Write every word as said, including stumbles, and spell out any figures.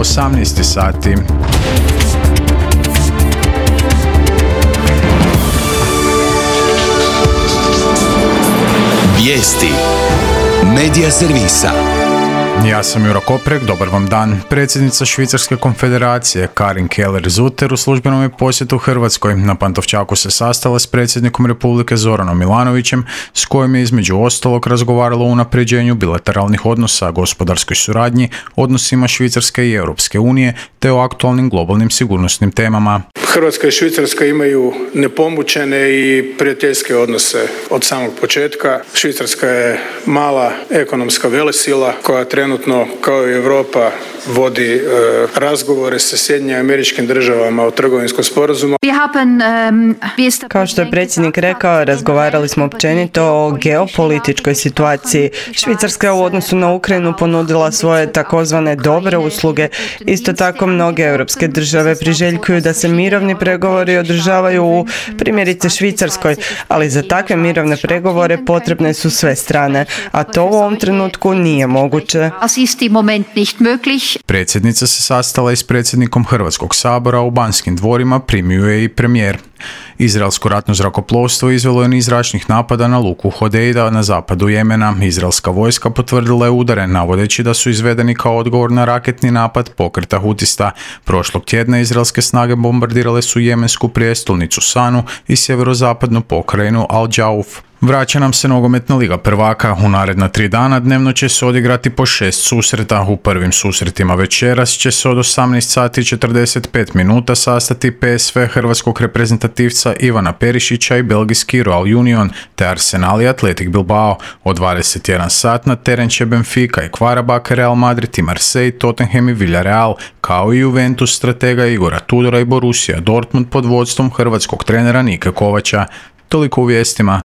osamnaest sati. Vijesti Medija servisa. Ja sam Juro Koprek, dobar vam dan. Predsjednica Švicarske konfederacije Karin Keller-Zutter u službenom je posjetu Hrvatskoj. Na Pantovčaku se sastala s predsjednikom Republike Zoranom Milanovićem, s kojim je između ostalog razgovaralo o unapređenju bilateralnih odnosa, gospodarskoj suradnji, odnosima Švicarske i Europske unije, te o aktualnim globalnim sigurnosnim temama. Hrvatska i Švicarska imaju nepomućene i prijateljske odnose od samog početka. Švicarska je mala ekonomska velesila koja trenutno, kao i Europa, vodi e, razgovore sa Sjedinjenim Američkim Državama o trgovinskom sporazumu. Kao što je predsjednik rekao, razgovarali smo općenito o geopolitičkoj situaciji. Švicarska je u odnosu na Ukrajinu ponudila svoje takozvane dobre usluge. Isto tako mnoge europske države priželjkuju da se mirovni pregovori održavaju u, primjerice, Švicarskoj, ali za takve mirovne pregovore potrebne su sve strane, a to u ovom trenutku nije moguće. Predsjednica se sastala i s predsjednikom Hrvatskog sabora u Banskim dvorima, primio je i premijer. Izraelsko ratno zrakoplovstvo izvelo je niz zračnih napada na luku Hodeida na zapadu Jemena. Izraelska vojska potvrdila je udare, navodeći da su izvedeni kao odgovor na raketni napad pokreta Hutista. Prošlog tjedna izraelske snage bombardirale su jemensku prijestolnicu Sanu i sjeverozapadnu pokrajinu Al-Džauf. Vraća nam se nogometna liga prvaka. U naredna tri dana dnevno će se odigrati po šest susreta. U prvim susretima večeras će se od osamnaest sati i četrdeset pet minuta sastati P S V hrvatskog reprezentativca Ivana Perišića i belgijski Royal Union, te Arsenal i Athletic Bilbao. Od dvadeset jedan sat na teren će Benfica i Qarabağ, Real Madrid i Marseille, Tottenham i Villarreal, kao i Juventus stratega Igora Tudora i Borussia Dortmund pod vodstvom hrvatskog trenera Nike Kovača. Toliko u vijestima.